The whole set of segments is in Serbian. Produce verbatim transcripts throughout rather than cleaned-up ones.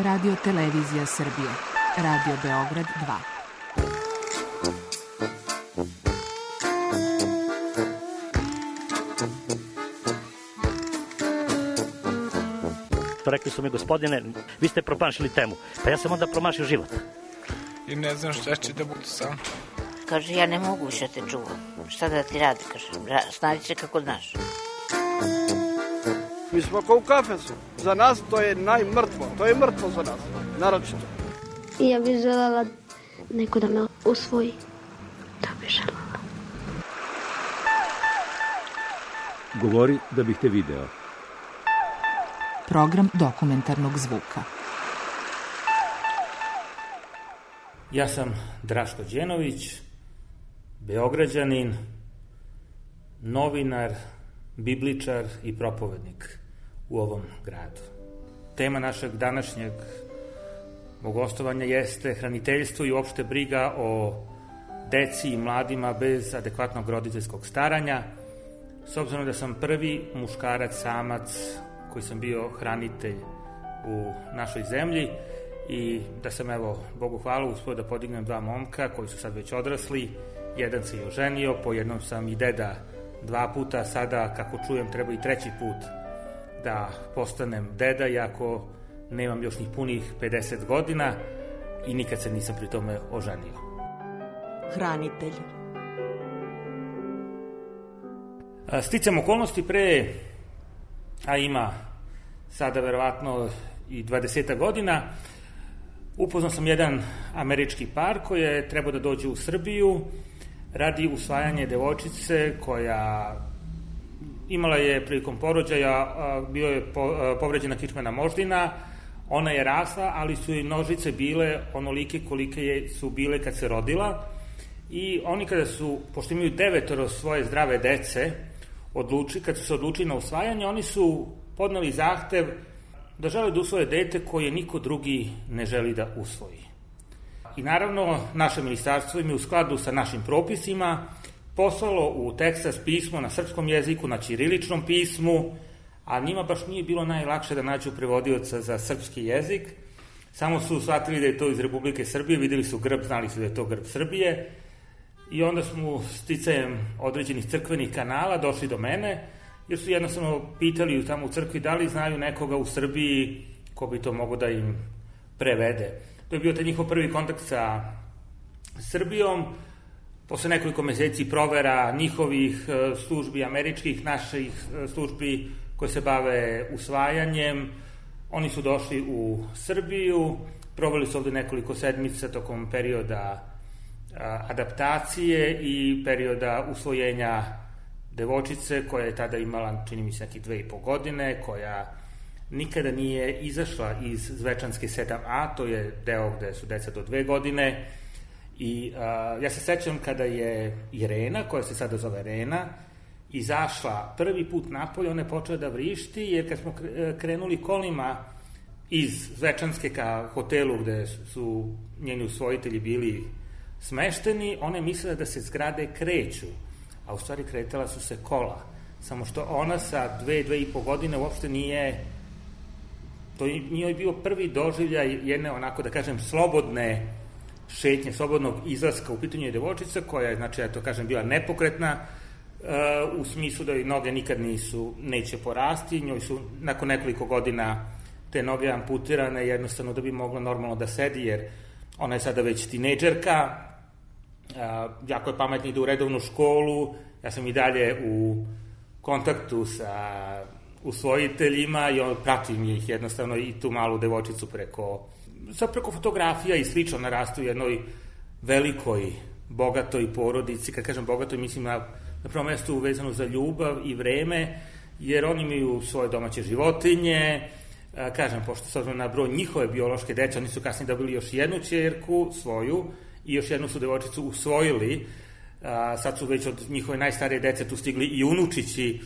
Radio Televizija Srbije. Radio Beograd dva. Rekli su mi, gospodine, vi ste promašili temu. Pa ja sam onda promašio život. I ne znam šta će da budu sam. Kaže, ja ne mogu više te čuvam. Šta da ti radi, kaže, snađi se kako znaš. Mi smo kao u kafesu. Za nas to je najmrtvo. To je mrtvo za nas, naročito. I ja bih želela neko da me usvoji. Da bih želela. Govori da bih te video. Program dokumentarnog zvuka. Ja sam Draško Đenović, Beograđanin, novinar, bibličar i propovednik u ovom gradu. Tema našeg današnjeg mog gostovanja jeste hraniteljstvo i uopšte briga o deci i mladima bez adekvatnog roditeljskog staranja, s obzirom da sam prvi muškarac, samac, koji sam bio hranitelj u našoj zemlji i da sam, evo, Bogu hvala, uspio da podignem dva momka koji su sad već odrasli. Jedan se i oženio, po jednom sam i deda dva puta, sada, kako čujem, treba i treći put da postanem deda, iako nemam još ni punih pedeset godina i nikad se nisam pri tome oženio. Hranitelj. Sticam okolnosti pre, a ima sada verovatno i dvadeset godina, upoznao sam jedan američki par koji je trebao da dođe u Srbiju radi usvajanja devojčice koja imala je prilikom porođaja, bio je povređena kičmena moždina, ona je rasla, ali su i nožice bile onolike kolike je, su bile kad se rodila i oni kada su, pošto imaju devetoro svoje zdrave dece, odluči, kad su se odlučili na usvajanje, oni su podneli zahtev da žele da usvoje dete koje niko drugi ne želi da usvoji. I naravno, naše ministarstvo im je u skladu sa našim propisima poslalo u Teksas pismo na srpskom jeziku, na ćiriličnom pismu, a njima baš nije bilo najlakše da nađu prevodioca za srpski jezik. Samo su shvatili da je to iz Republike Srbije, videli su grb, znali su da je to grb Srbije i onda smo sticajem određenih crkvenih kanala došli do mene, jer su jednostavno pitali tamo u crkvi da li znaju nekoga u Srbiji ko bi to mogo da im prevede. To je bio taj njihov prvi kontakt sa Srbijom. Posle nekoliko meseci provera njihovih službi, američkih, naših službi koje se bave usvajanjem, oni su došli u Srbiju, proveli su ovde nekoliko sedmica tokom perioda adaptacije i perioda usvojenja devojčice koja je tada imala, čini mi se, nekih dve i po godine, koja nikada nije izašla iz Zvečanske sedam A, to je deo gde su deca do dve godine. I a, ja se sećam kada je Irena, koja se sada zove Rena, izašla prvi put napolje, ona je počela da vrišti, jer kad smo krenuli kolima iz Zvečanske ka hotelu gde su njeni usvojitelji bili smešteni, ona je mislila da se zgrade kreću, a u stvari kretala su se kola. Samo što ona sa dve, dve i po godine uopšte nije, to nije bio prvi doživljaj jedne, onako da kažem, slobodne šetnje, slobodnog izlaska. U pitanju je devojčica koja je, znači, ja to kažem, bila nepokretna, uh, u smislu da joj noge nikad nisu, neće porasti, njoj su nakon nekoliko godina te noge amputirane jednostavno da bi mogla normalno da sedi, jer ona je sada već tinejdžerka, uh, jako je pametna, ide u redovnu školu, ja sam i dalje u kontaktu sa usvojiteljima i on pratim ih jednostavno i tu malu devojčicu preko, sad preko fotografija i slično, narastu u jednoj velikoj, bogatoj porodici. Kad kažem bogatoj, mislim na, na prvom mestu uvezano za ljubav i vreme, jer oni imaju svoje domaće životinje, a, kažem, pošto s obzirom na broj njihove biološke dece, oni su kasnije dobili još jednu ćerku svoju i još jednu su devojčicu usvojili. A, sad su već od njihove najstarije dece tu stigli i unučići.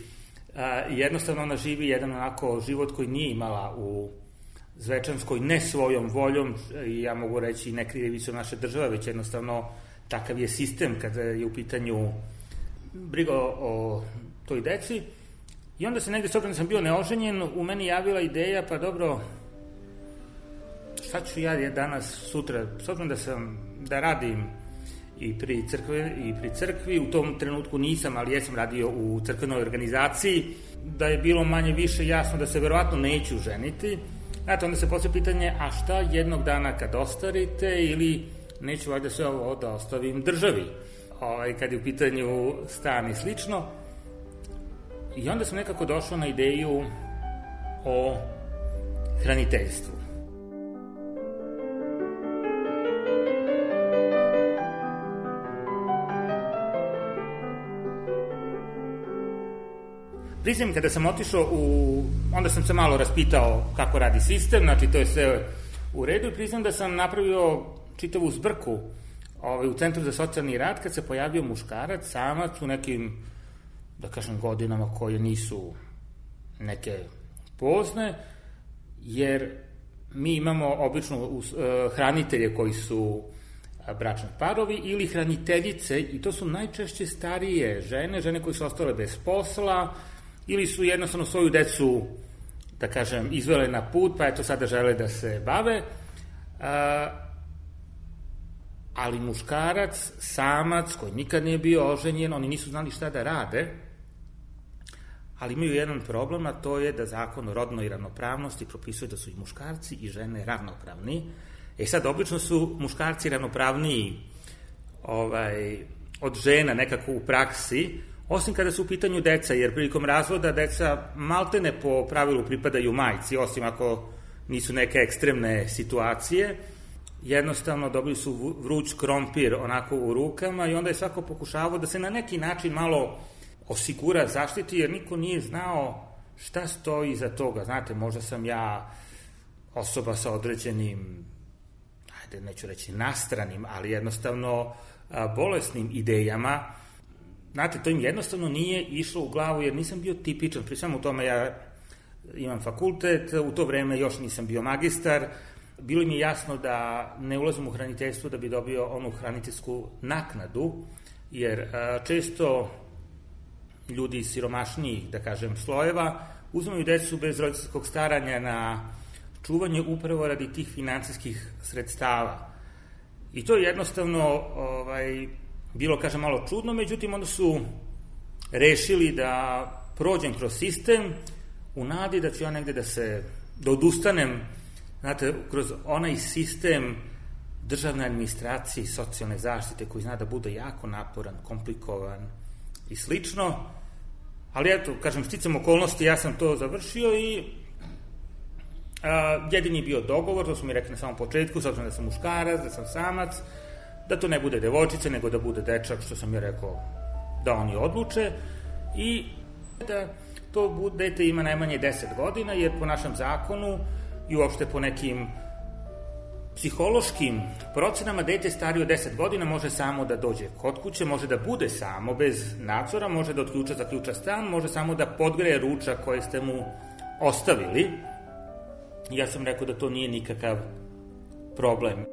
A, jednostavno ona živi jedan onako život koji nije imala u Zvečanskoj, ne svojom voljom, i ja mogu reći ne krivicom naše države, već jednostavno takav je sistem kada je u pitanju briga o toj deci. I onda se negde, s obzirom da sam bio neoženjen, u meni javila ideja, pa dobro, sad ću ja danas, sutra, s obzirom da sam, da radim i pri crkvi, i pri crkvi, u tom trenutku nisam, ali jesam radio u crkvenoj organizaciji, da je bilo manje više jasno da se verovatno neću ženiti. Znate, onda se postavlja pitanje, a šta jednog dana kad ostarite, ili neću valjda sve ovo da ostavim državi, ovaj, kad je u pitanju stan i slično. I onda sam nekako došao na ideju o hraniteljstvu. Priznam, kada sam otišao u... onda sam se malo raspitao kako radi sistem, znači to je sve u redu, i priznam da sam napravio čitavu zbrku ovaj, u Centru za socijalni rad kad se pojavio muškarac, samac u nekim, da kažem, godinama koje nisu neke pozne, jer mi imamo obično uh, hranitelje koji su bračni parovi ili hraniteljice, i to su najčešće starije žene, žene koje su ostale bez posla, ili su jednostavno svoju decu, da kažem, izvele na put, pa eto sada žele da se bave. A, ali muškarac, samac, koji nikad nije bio oženjen, oni nisu znali šta da rade, ali imaju jedan problem, a to je da zakon o rodnoj ravnopravnosti propisuje da su i muškarci i žene ravnopravni. E sad, obično su muškarci ravnopravniji ovaj, od žena nekako u praksi, osim kada su u pitanju deca, jer prilikom razvoda deca maltene po pravilu pripadaju majci, osim ako nisu neke ekstremne situacije. Jednostavno dobili su vruć krompir onako u rukama i onda je svako pokušavao da se na neki način malo osigura, zaštiti, jer niko nije znao šta stoji iza toga. Znate, možda sam ja osoba sa određenim, ajde, neću reći nastranim, ali jednostavno a, bolesnim idejama. Znate, to im jednostavno nije išlo u glavu, jer nisam bio tipičan. Pri svemu tome ja imam fakultet, u to vreme još nisam bio magistar. Bilo mi je jasno da ne ulazim u hraniteljstvo da bi dobio onu hraniteljsku naknadu, jer a, često ljudi iz siromašnijih, da kažem, slojeva uzimaju decu bez roditeljskog staranja na čuvanje upravo radi tih finansijskih sredstava. I to je jednostavno ovaj, bilo, kažem, malo čudno, međutim, onda su rešili da prođem kroz sistem u nadi da ću ja negde da se, da odustanem, znate, kroz onaj sistem državne administracije i socijalne zaštite koji zna da bude jako naporan, komplikovan i slično, ali eto, kažem, sticam okolnosti, ja sam to završio i a, jedini je bio dogovor, to su mi rekli na samom početku, s obzirom da sam muškarac, da sam samac, da to ne bude devojčica, nego da bude dečak, što sam ja rekao da oni odluče, i da to dete ima najmanje deset godina, jer po našem zakonu i uopšte po nekim psihološkim procenama dete starije od deset godina može samo da dođe kod kuće, može da bude samo, bez nadzora, može da od ključa zaključa stan, može samo da podgreje ručak koje ste mu ostavili. Ja sam rekao da to nije nikakav problem.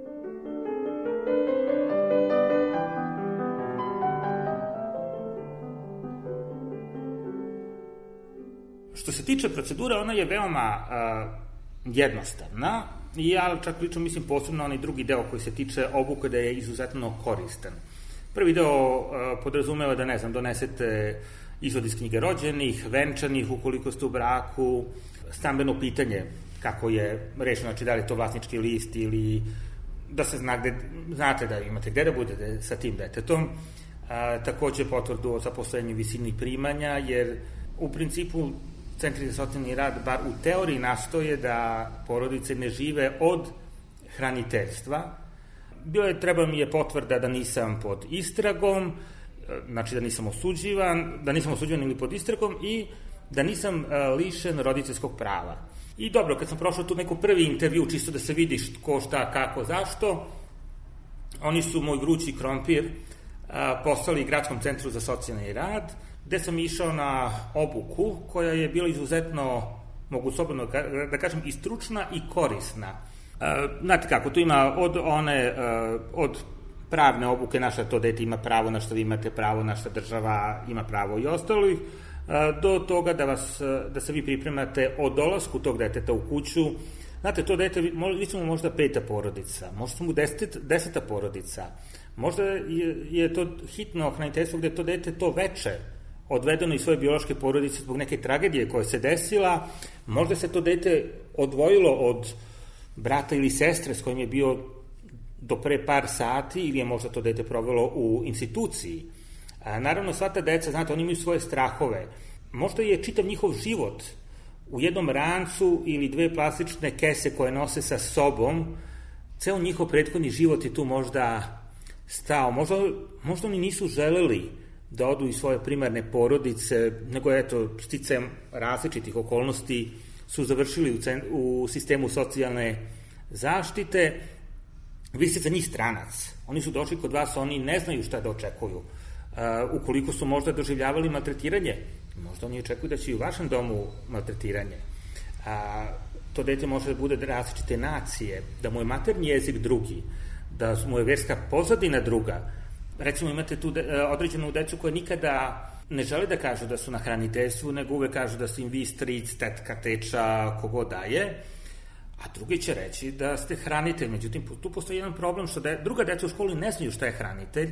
Što se tiče procedure, ona je veoma uh, jednostavna, i ja čak pričam, mislim, posebno onaj drugi deo koji se tiče obuke, da je izuzetno koristan. Prvi deo uh, podrazumeva da, ne znam, donesete izvod iz knjige rođenih, venčanih, ukoliko ste u braku, stambeno pitanje kako je rešeno, znači da li je to vlasnički list ili da se zna gde, znate da imate gde da budete sa tim detetom. Uh, takođe potvrdu o zaposlenju, visini primanja, jer u principu Centri za socijalni rad, bar u teoriji, nastoje da porodice ne žive od hraniteljstva. Bilo je, treba mi je potvrda da nisam pod istragom, znači da nisam osuđivan, da nisam osuđivan ili pod istragom, i da nisam lišen roditeljskog prava. I dobro, kad sam prošao tu neku prvi intervju, čisto da se vidiš ko, šta, kako, zašto, oni su moj vrući krompir poslali Gradskom centru za socijalni rad, gde sam išao na obuku koja je bila izuzetno, mogu slobodno da kažem, i stručna i korisna. Znate kako, tu ima od one, od pravne obuke, na šta to dete ima pravo, na šta vi imate pravo, na šta država ima pravo i ostalih, do toga da, vas, da se vi pripremate o dolasku tog deteta u kuću, Znate, to dete, vi su mu možda peta porodica, možda su mu deset, deseta porodica, možda je, je to hitno hraniteljstvo gde to dete to veče odvedeno iz svoje biološke porodice zbog neke tragedije koja se desila, možda se to dete odvojilo od brata ili sestre s kojim je bio do pre par sati ili je možda to dete provelo u instituciji. A, naravno, sva ta deca, znate, oni imaju svoje strahove. Možda je čitav njihov život u jednom rancu ili dve plastične kese koje nose sa sobom, ceo njihov prethodni život je tu možda stao. Možda, možda oni nisu želeli da odu iz svoje primarne porodice, nego eto, sticajem različitih okolnosti su završili u, cen, u sistemu socijalne zaštite. Vi ste za njih stranac. Oni su došli kod vas, oni ne znaju šta da očekuju. Uh, ukoliko su možda doživljavali maltretiranje, možda oni očekuju da će i u vašem domu maltretiranje. A, to dete može da bude različite nacije, da mu je maternji jezik drugi, da mu je verska pozadina druga. Recimo imate tu de, određenu decu koja nikada ne žele da kažu da su na hraniteljstvu, nego uvek kažu da su im vi stric, tetka, teča, kogo daje, a drugi će reći da ste hranitelj. Međutim, tu postoji jedan problem što de, druga deca u školi ne znaju šta je hranitelj.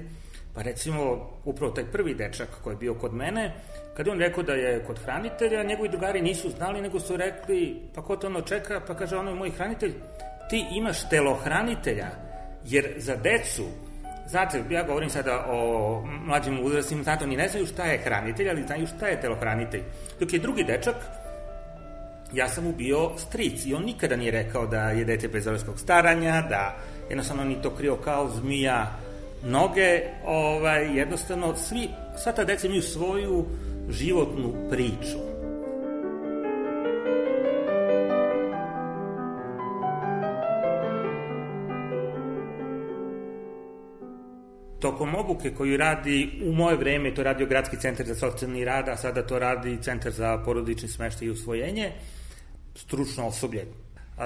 Pa recimo, upravo taj prvi dečak koji je bio kod mene, kada on rekao da je kod hranitelja, njegovi drugari nisu znali, nego su rekli, pa ko to ono čeka, pa kaže ono, moj hranitelj, ti imaš telohranitelja, jer za decu, znate, ja govorim sada o mlađim uzrastima, znate, oni ne znaju šta je hranitelj, ali znaju šta je telohranitelj. Dok je drugi dečak, ja sam mu bio stric i on nikada nije rekao da je dete bez roditeljskog staranja, da jednostavno ni to krio kao zmija noge, ovaj, jednostavno, svi, sva ta deca imaju svoju životnu priču. Tokom obuke koju radi, u moje vreme to radio Gradski centar za socijalni rad, a sada to radi Centar za porodični smeštaj i usvojenje, stručno osoblje.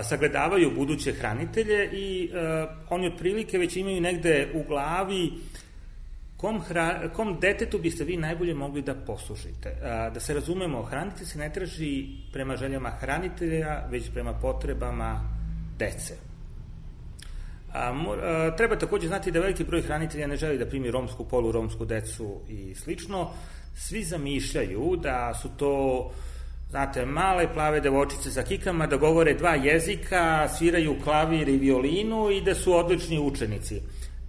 Sagledavaju buduće hranitelje i uh, oni otprilike već imaju negde u glavi kom, hra, kom detetu biste vi najbolje mogli da poslužite. Uh, da se razumemo, hranitelj se ne traži prema željama hranitelja, već prema potrebama dece. A, mor, a, treba takođe znati da veliki broj hranitelja ne želi da primi romsku, poluromsku decu i slično. Svi zamišljaju da su to, znate, male plave devojčice sa kikama, da govore dva jezika, sviraju klavir i violinu i da su odlični učenici.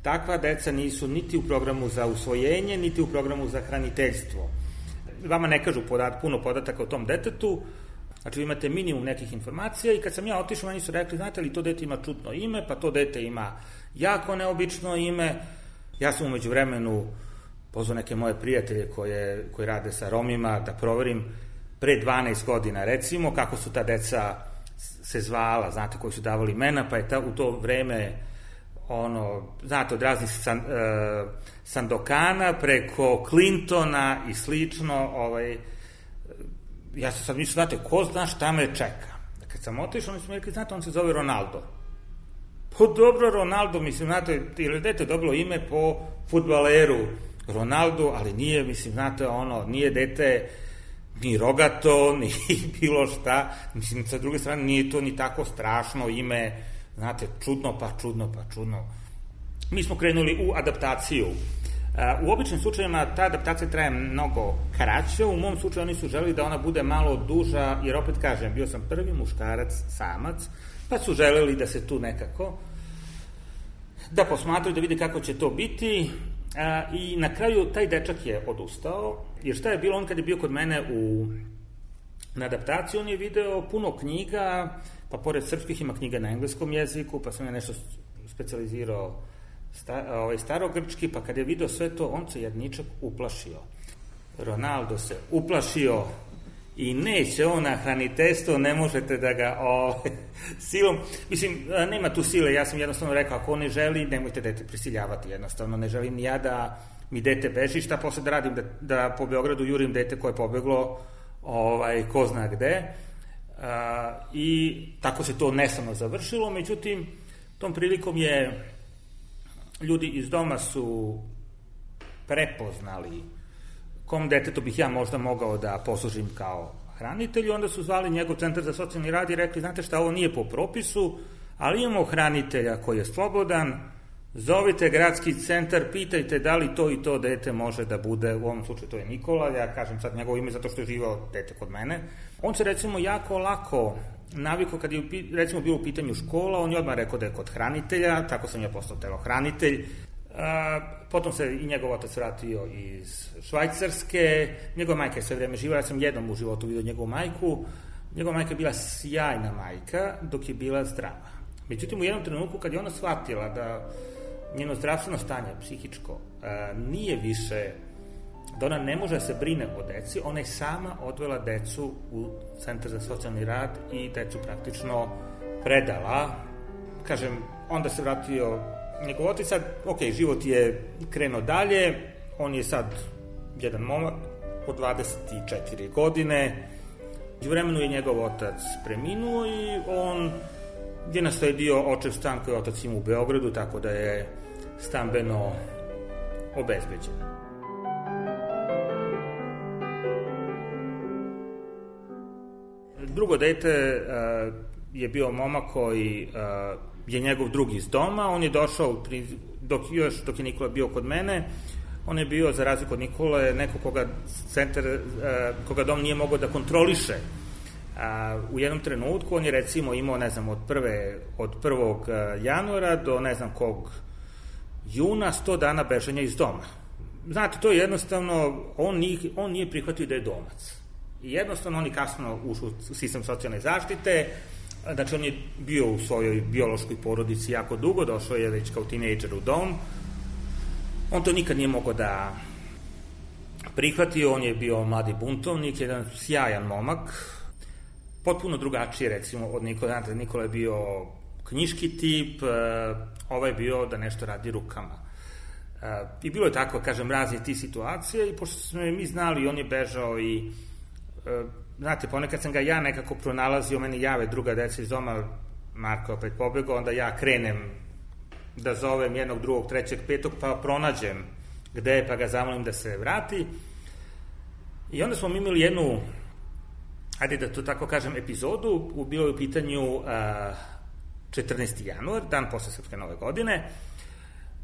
Takva deca nisu niti u programu za usvojenje, niti u programu za hraniteljstvo. Vama ne kažu podat, puno podataka o tom detetu, znači vi imate minimum nekih informacija i kad sam ja otišao, oni su rekli, znate li, to dete ima čudno ime, pa to dete ima jako neobično ime. Ja sam umeđu vremenu pozvao neke moje prijatelje koje, koje rade sa Romima da proverim pre dvanaest godina, recimo, kako su ta deca se zvala, znate, koji su davali imena, pa je ta, u to vreme, ono, znate, od raznih san, uh, Sandokana preko Clintona i slično, ovaj, ja sam sad mislio, znate, ko zna šta me čeka. Kad sam otišao, oni su mi rekli, znate, on se zove Ronaldo. Pa dobro, Ronaldo, mislim, znate, ili dete dobilo ime po fudbaleru Ronaldo, ali nije, mislim, znate, ono, nije dete ni rogato, ni bilo šta, mislim, sa druge strane, nije to ni tako strašno ime, znate, čudno, pa čudno, pa čudno. Mi smo krenuli u adaptaciju. U običnim slučajima ta adaptacija traje mnogo kraće, u mom slučaju oni su želeli da ona bude malo duža, jer opet kažem, bio sam prvi muškarac, samac, pa su želeli da se tu nekako da posmatraju, da vide kako će to biti, a, i na kraju taj dečak je odustao, jer šta je bilo, on kad je bio kod mene u, na adaptaciji, on je video puno knjiga, pa pored srpskih ima knjiga na engleskom jeziku, pa sam ja nešto specijalizirao Sta, ovaj, starogrčki, pa kad je video sve to, on se jedničak uplašio. Ronaldo se uplašio i neće on na hraniteljstvo, ne možete da ga o, silom, mislim, nema tu sile, ja sam jednostavno rekao, ako on ne želi, nemojte dete prisiljavati, jednostavno, ne želim ni ja da mi dete beži, šta posle da radim, da, da po Beogradu jurim dete koje je pobeglo, ovaj, ko zna gde, a, i tako se to neslavno završilo, međutim, tom prilikom je ljudi iz doma su prepoznali kom detetu bih ja možda mogao da poslužim kao hranitelj, onda su zvali njegov centar za socijalni rad i rekli, znate šta, ovo nije po propisu, ali imamo hranitelja koji je slobodan, zovite gradski centar, pitajte da li to i to dete može da bude, u ovom slučaju to je Nikola, ja kažem sad njegovo ime zato što je živao dete kod mene. On se recimo jako lako navikao kad je recimo bilo u pitanju škola, on je odmah rekao da je kod hranitelja, tako sam ja postao telohranitelj. A, potom se i njegov otac vratio iz Švajcarske, njegova majka je sve vreme živala, ja sam jednom u životu vidio njegovu majku, njegova majka je bila sjajna majka dok je bila zdrava. Međutim, u jednom trenutku kad je ona shvatila da njeno zdravstveno stanje, psihičko, a, nije više, da ona ne može da se brine o deci, ona je sama odvela decu u centar za socijalni rad i decu praktično predala. Kažem, onda se vratio njegov otac, sad, ok, život je krenuo dalje, on je sad jedan momak od dvadeset četiri godine, u vremenu je njegov otac preminuo i on je nasledio očev stan koji otac ima u Beogradu, tako da je stambeno obezbeđen. Drugo dete uh, je bio momak koji uh, je njegov drugi iz doma, on je došao, dok, još dok je Nikola bio kod mene, on je bio, za razliku od Nikole, neko koga, centar, uh, koga dom nije mogao da kontroliše. Uh, u jednom trenutku on je recimo imao, ne znam, od, prve, od prvog januara do ne znam kog juna sto dana bežanja iz doma. Znate, to je jednostavno, on nije, on nije prihvatio da je domac. I jednostavno on je kasno ušao u sistem socijalne zaštite, znači on je bio u svojoj biološkoj porodici jako dugo, došao je već kao tinejdžer u dom. On to nikad nije mogao da prihvati, on je bio mladi buntovnik, jedan sjajan momak, potpuno drugačiji recimo od Nikola. Znate, Nikola je bio knjiški tip, ovaj je bio da nešto radi rukama. I bilo je tako, kažem, razne ti situacije i pošto smo mi znali, on je bežao i znate, ponekad sam ga ja nekako pronalazio, meni jave druga deca iz doma, Marko opet pobegao, onda ja krenem da zovem jednog, drugog, trećeg, petog, pa pronađem gde je, pa ga zamolim da se vrati. I onda smo mi imali jednu, ajde da to tako kažem, epizodu, u bilo je u pitanju a, četrnaesti januar, dan posle Srpske nove godine.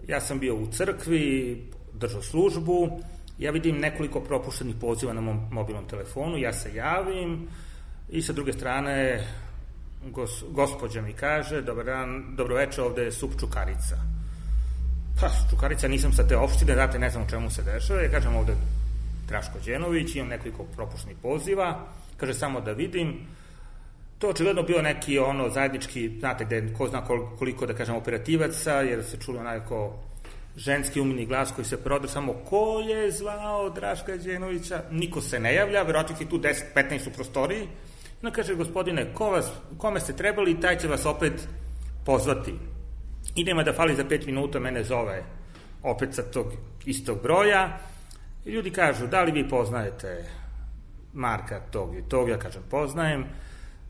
Ja sam bio u crkvi, držao službu, ja vidim nekoliko propuštenih poziva na mom mobilnom telefonu, ja se javim i sa druge strane gos, gospođa mi kaže, dobar dan, dobroveče, ovde je sup Čukarica. Pa, Čukarica, nisam sa te opštine, znate, ne znam o čemu se dešava, ja kažem ovde Draško Đenović, imam nekoliko propuštenih poziva, kaže samo da vidim. To je očigledno bio neki ono zajednički, znate, gde ko zna koliko, da kažem, operativaca, jer se čuli onako ženski umni glas koji se prodao, samo ko je zvao Draška Đenovića, niko se ne javlja, verovatno je tu deset petnaest u prostoriji. Onda kaže, gospodine, ko vas, kome ste trebali, taj će vas opet pozvati. I nema da fali za pet minuta, mene zove opet sa tog istog broja. I ljudi kažu, da li vi poznajete Marka tog i tog? Ja kažem, poznajem.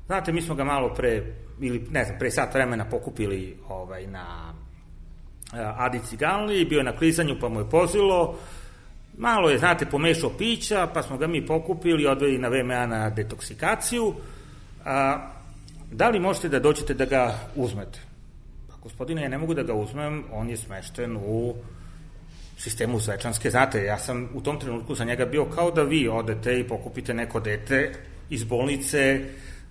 Znate, mi smo ga malo pre, ili ne znam, pre sat vremena pokupili ovaj, na Adi Ciganli, bio je na klizanju pa mu je pozilo, malo je, znate, pomešao pića, pa smo ga mi pokupili, odveli na V M A na detoksikaciju. A, da li možete da dođete da ga uzmete? Pa, gospodine, ja ne mogu da ga uzmem, on je smešten u sistemu Zvečanske. Znate, ja sam u tom trenutku za njega bio kao da vi odete i pokupite neko dete iz bolnice.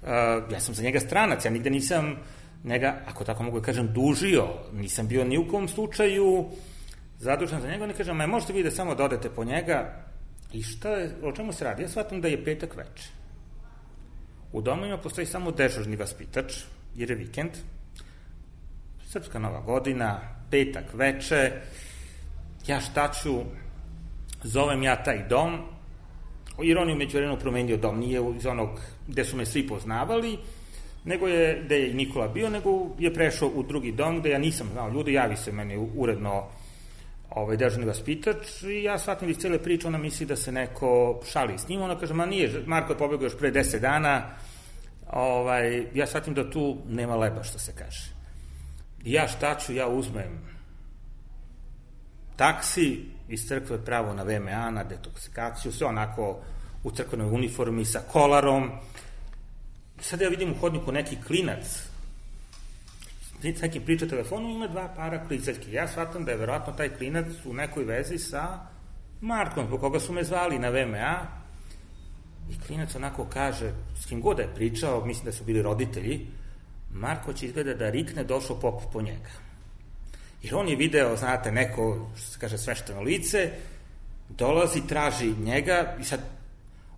A, ja sam za njega stranac, ja nigde nisam njega, ako tako mogu da kažem, dužio, nisam bio ni u kom slučaju zadužen za njega, ne kažem, ma možete vi da samo da odete po njega. I šta je, o čemu se radi? Ja shvatam da je petak veče. U domovima postoji samo dežurni vaspitač, jer je vikend, Srpska nova godina, petak veče, ja šta ću, zovem ja taj dom, jer on je umeđu vremenu promenio dom, nije iz onog gde su me svi poznavali, nego je, gde je i Nikola bio, nego je prešao u drugi dom gde ja nisam znao ljudi, javi se meni uredno ovaj, dežurni vaspitač i ja shvatim iz cele priče, ona misli da se neko šali s njim, ona kaže, ma nije, Marko je pobegao još pre deset dana, ovaj, ja shvatim da tu nema leba, što se kaže. I ja šta ću, ja uzmem taksi iz crkve pravo na V M A, na detoksikaciju, sve onako u crkvenoj uniformi sa kolarom. Sada ja vidim u hodniku neki klinac, s nekim priča telefonom, ima dva para kliceljki. Ja shvatam da je verovatno taj klinac u nekoj vezi sa Markom, zbog koga su me zvali na V M A. I klinac onako kaže, s kim god da je pričao, mislim da su bili roditelji, Marko će izgleda da rikne, došao pop po njega. Jer on je video, znate, neko, što se kaže, svešteno lice, dolazi, traži njega i sad,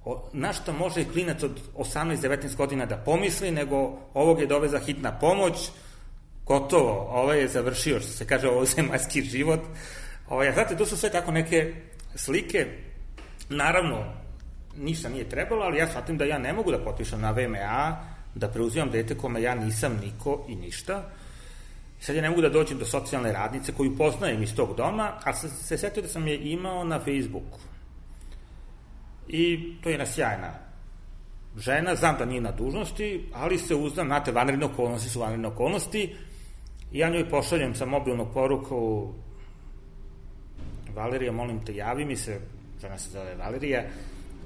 o, na što može klinac od osamnaest devetnaest godina da pomisli, nego ovog je doveza hitna pomoć, gotovo, ovaj je završio, što se kaže, ovo zemaljski život. Ovaj, znate, to su sve tako neke slike. Naravno, ništa nije trebalo, ali ja shvatim da ja ne mogu da potpišem na V M A, da preuzimam dete kome ja nisam niko i ništa. Sad ja ne mogu da dođem do socijalne radnice koju poznajem iz tog doma, ali sam se setio da sam je imao na Facebooku. I to je jedna sjajna žena, znam da nije na dužnosti, ali se uzdam, znate, vanredne okolnosti su vanredne okolnosti, i ja njoj pošaljem sa mobilnog poruku: Valerija, molim te, javi mi se, žena se zove Valerija,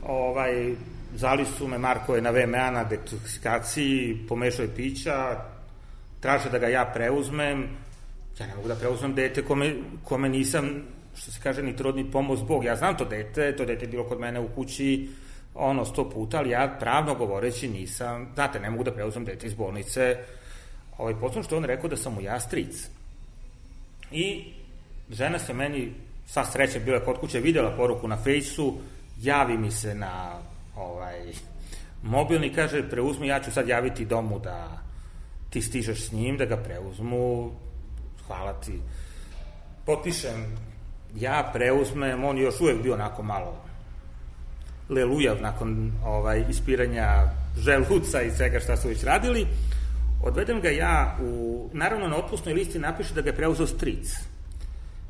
ovaj, zvali su me, Marko je na V M A na detoksikaciji, pomešao je pića, traže da ga ja preuzmem, ja ne mogu da preuzmem dete kome, kome nisam, što se kaže, ni trud ni pomoć Bog. Ja znam to dete, to dete je bilo kod mene u kući ono sto puta, ali ja pravno govoreći nisam, znate, ne mogu da preuzmem dete iz bolnice. Ovaj, potom što on rekao da sam mu ja stric. I žena se meni, sva sreća, bila kod kuće, videla poruku na Fejsu, javi mi se na ovaj mobilni, kaže, preuzmi, ja ću sad javiti domu da ti stižeš s njim, da ga preuzmu, hvala ti. Potpišem, ja preuzmem, on još uvek bio onako malo lelujav nakon ovaj, ispiranja želuca i svega šta su već radili. Odvedem ga ja, u, naravno na otpusnoj listi napiše da ga je preuzeo stric.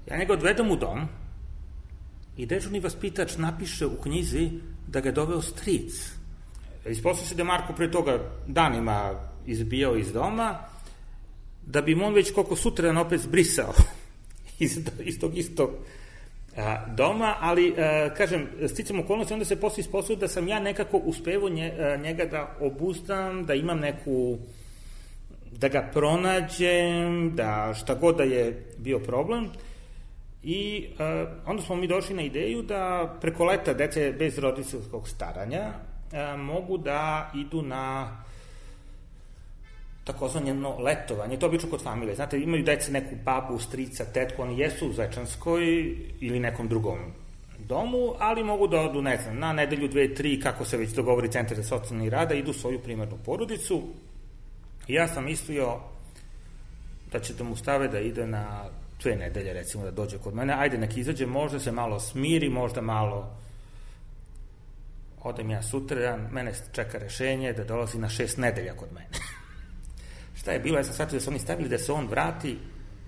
Ja njega odvedem u dom i dežurni vaspitač napiše u knjizi da ga je doveo stric. Ispostavlja se da je Marko pre toga danima izbijao iz doma, da bi mu on već koliko sutradan opet zbrisao iz, iz tog istog a, doma, ali, a, kažem, sticam okolnosti, onda se posle ispostavlja da sam ja nekako uspevao nje, a, njega da obuzdam, da imam neku, da ga pronađem, da šta god da je bio problem. I a, onda smo mi došli na ideju da preko leta dece bez roditeljskog staranja a, mogu da idu na takozvano letovanje, to obično kod familije. Znate, imaju dece neku babu, strica, tetku, oni jesu u Zvečanskoj ili nekom drugom domu, ali mogu da odu, ne znam, na nedelju, dve, tri, kako se već dogovori Centar za socijalni rad, da idu svoju primarnu porodicu. I ja sam mislio da će da mu stave da ide na dve nedelje, recimo, da dođe kod mene, ajde, nek izađe, možda se malo smiri, možda malo odem ja sutradan, mene čeka rešenje da dolazi na šest nedelja kod mene. Šta je bilo? Ja sam shvatio da su oni stavili da se on vrati,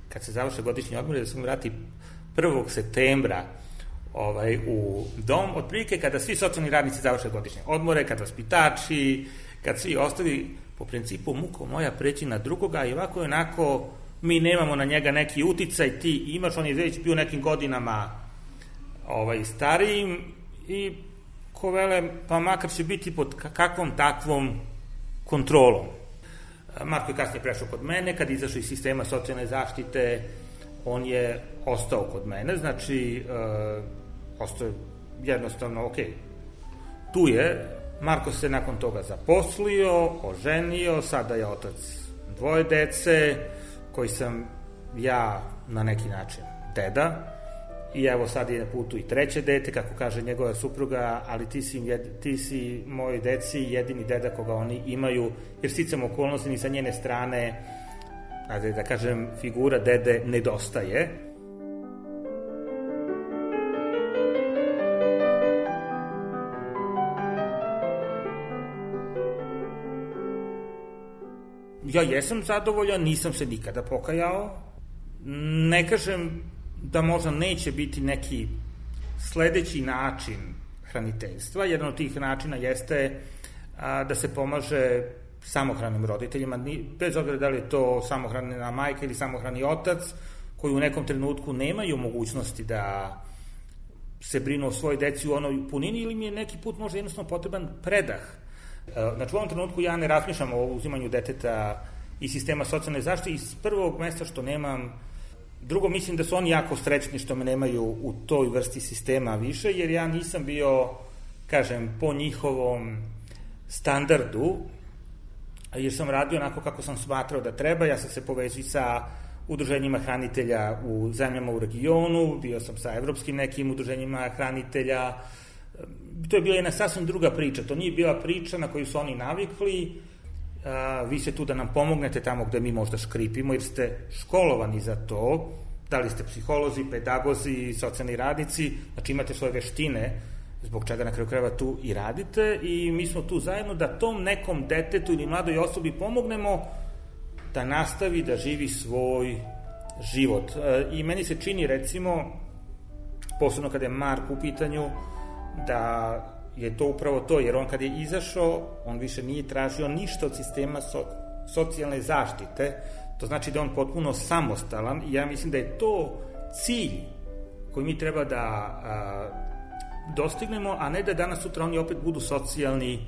kad se završe godišnji odmor, da se on vrati prvog septembra ovaj, u dom, otprilike kada svi socijalni radnici završe godišnje odmore, kad vaspitači, kad svi ostali, po principu muko moja preći na drugoga, i ovako je onako, mi nemamo na njega neki uticaj, ti imaš, on je već bio nekim godinama ovaj, starijim, i ko vele, pa makar će biti pod kakvom takvom kontrolom. Marko je kasnije prešao kod mene, kad izašao iz sistema socijalne zaštite, on je ostao kod mene, znači, e, ostao je jednostavno, ok, tu je. Marko se nakon toga zaposlio, oženio, sada je otac dvoje dece, koji sam ja na neki način deda, i evo sad je na putu i treće dete, kako kaže njegova supruga, ali ti si, jed, ti si moj deci jedini deda koga oni imaju, jer sticam okolnosti ni sa njene strane, ajde da kažem, figura dede nedostaje. Ja jesam zadovoljan, nisam se nikada pokajao, ne kažem da možda neće biti neki sledeći način hraniteljstva. Jedan od tih načina jeste a, da se pomaže samohranim roditeljima, bez obzira da li je to samohrana majka ili samohrani otac, koji u nekom trenutku nemaju mogućnosti da se brinu o svojoj deci u onoj punini ili mi je neki put možda jednostavno potreban predah. Znači u ovom trenutku ja ne razmišljam o uzimanju deteta iz sistema socijalne zaštite iz prvog mesta što nemam. Drugo, mislim da su oni jako srećni što me nemaju u toj vrsti sistema više, jer ja nisam bio, kažem, po njihovom standardu, jer sam radio onako kako sam smatrao da treba. Ja sam se povezio sa udruženjima hranitelja u zemljama u regionu, bio sam sa evropskim nekim udruženjima hranitelja. To je bila jedna sasvim druga priča. To nije bila priča na koju su oni navikli. A, vi ste tu da nam pomognete tamo gde mi možda škripimo, jer ste školovani za to. Da li ste psiholozi, pedagozi, socijalni radnici, znači imate svoje veštine, zbog čega na kraju krajeva tu i radite, i mi smo tu zajedno da tom nekom detetu ili mladoj osobi pomognemo da nastavi da živi svoj život. I meni se čini, recimo, posebno kada je Mark u pitanju, da je to upravo to, jer on kad je izašao, on više nije tražio ništa od sistema so, socijalne zaštite, to znači da je on potpuno samostalan, i ja mislim da je to cilj koji mi treba da a, dostignemo, a ne da danas sutra oni opet budu socijalni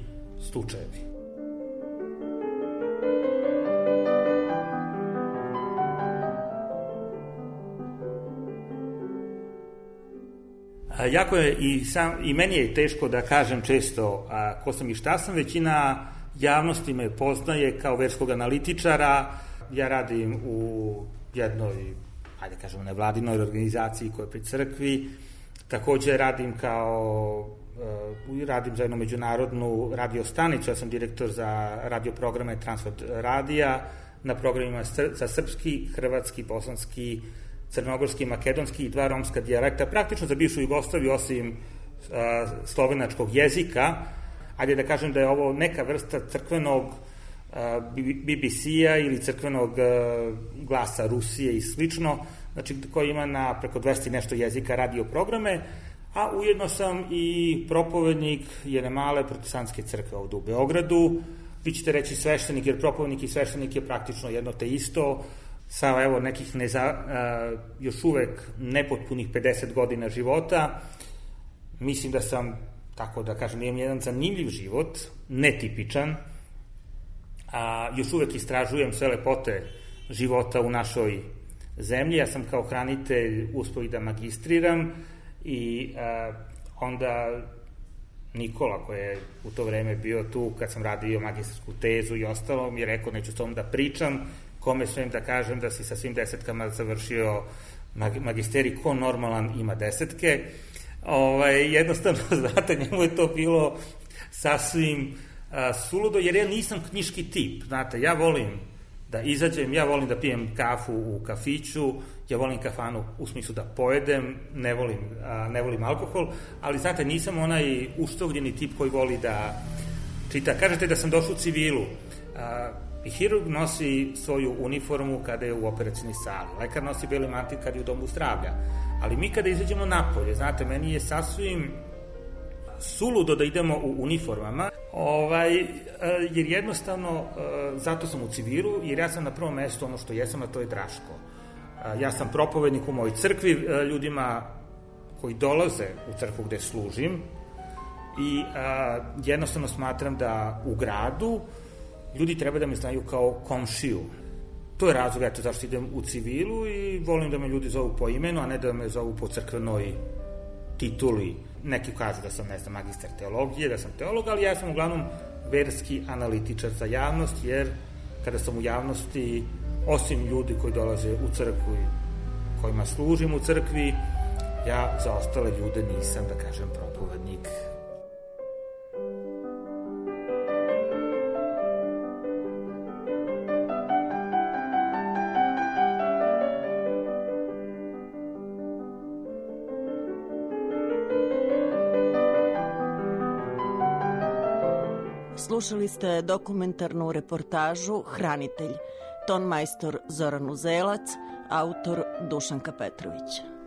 slučajevi. Jako je i, sam, i meni je teško da kažem često a, ko sam i šta sam. Većina javnosti me poznaje kao verskog analitičara. Ja radim u jednoj, ajde kažemo, nevladinoj organizaciji koja je pri crkvi. Takođe radim kao, uh, radim za jednu međunarodnu radio stanicu. Ja sam direktor za radio programe Transfert radija na programima za srpski, hrvatski, bosanski, crnogorski, makedonski i dva romska dijalekta, praktično za bivšu Jugoslaviju, osim uh, slovenačkog jezika. Ajde da kažem da je ovo neka vrsta crkvenog uh, B B C-a ili crkvenog uh, glasa Rusije i slično, znači koji ima na preko dvesta nešto jezika radio programe, a ujedno sam i propovednik jedne male protestantske crkve ovde u Beogradu. Vi ćete reći sveštenik, jer propovednik i sveštenik je praktično jedno te isto, sa evo nekih neza, uh, još uvek nepotpunih pedeset godina života. Mislim da sam, tako da kažem, imam jedan zanimljiv život, netipičan, a još uvek istražujem sve lepote života u našoj zemlji. Ja sam kao hranitelj uspeo i da magistriram, i uh, onda Nikola, koji je u to vreme bio tu kad sam radio magistarsku tezu i ostalo, mi je rekao neću s tom da pričam, kome svem da kažem da si sa svim desetkama završio magisterij, ko normalan ima desetke. Ovaj, jednostavno, znate, njemu je to bilo sasvim a, suludo, jer ja nisam knjiški tip. Znate, ja volim da izađem, ja volim da pijem kafu u kafiću, ja volim kafanu u smislu da pojedem, ne volim, a, ne volim alkohol, ali znate, nisam onaj uštovljeni tip koji voli da čita. Kažete da sam došao u civilu. A, I hirurg nosi svoju uniformu kada je u operacijnoj sali, lekar nosi beli mantil kada je u domu zdravlja, ali mi kada izađemo napolje, znate, meni je sasvim suludo da idemo u uniformama, ovaj, jer jednostavno, zato sam u civilu, jer ja sam na prvom mestu ono što jesam, a to je Draško. Ja sam propovednik u mojoj crkvi, ljudima koji dolaze u crkvu gde služim, i jednostavno smatram da u gradu ljudi treba da me znaju kao komšiju. To je razlog, eto, zašto idem u civilu, i volim da me ljudi zovu po imenu, a ne da me zovu po crkvenoj tituli. Neki kažu da sam, ne znam, magistar teologije, da sam teolog, ali ja sam uglavnom verski analitičar za javnost, jer kada sam u javnosti, osim ljudi koji dolaze u crkvu i kojima služim u crkvi, ja za ostale ljude nisam, da kažem, propovednik. Slušali ste dokumentarnu reportažu Hranitelj, ton majstor Zoran Uzelac, autor Dušanka Petrović.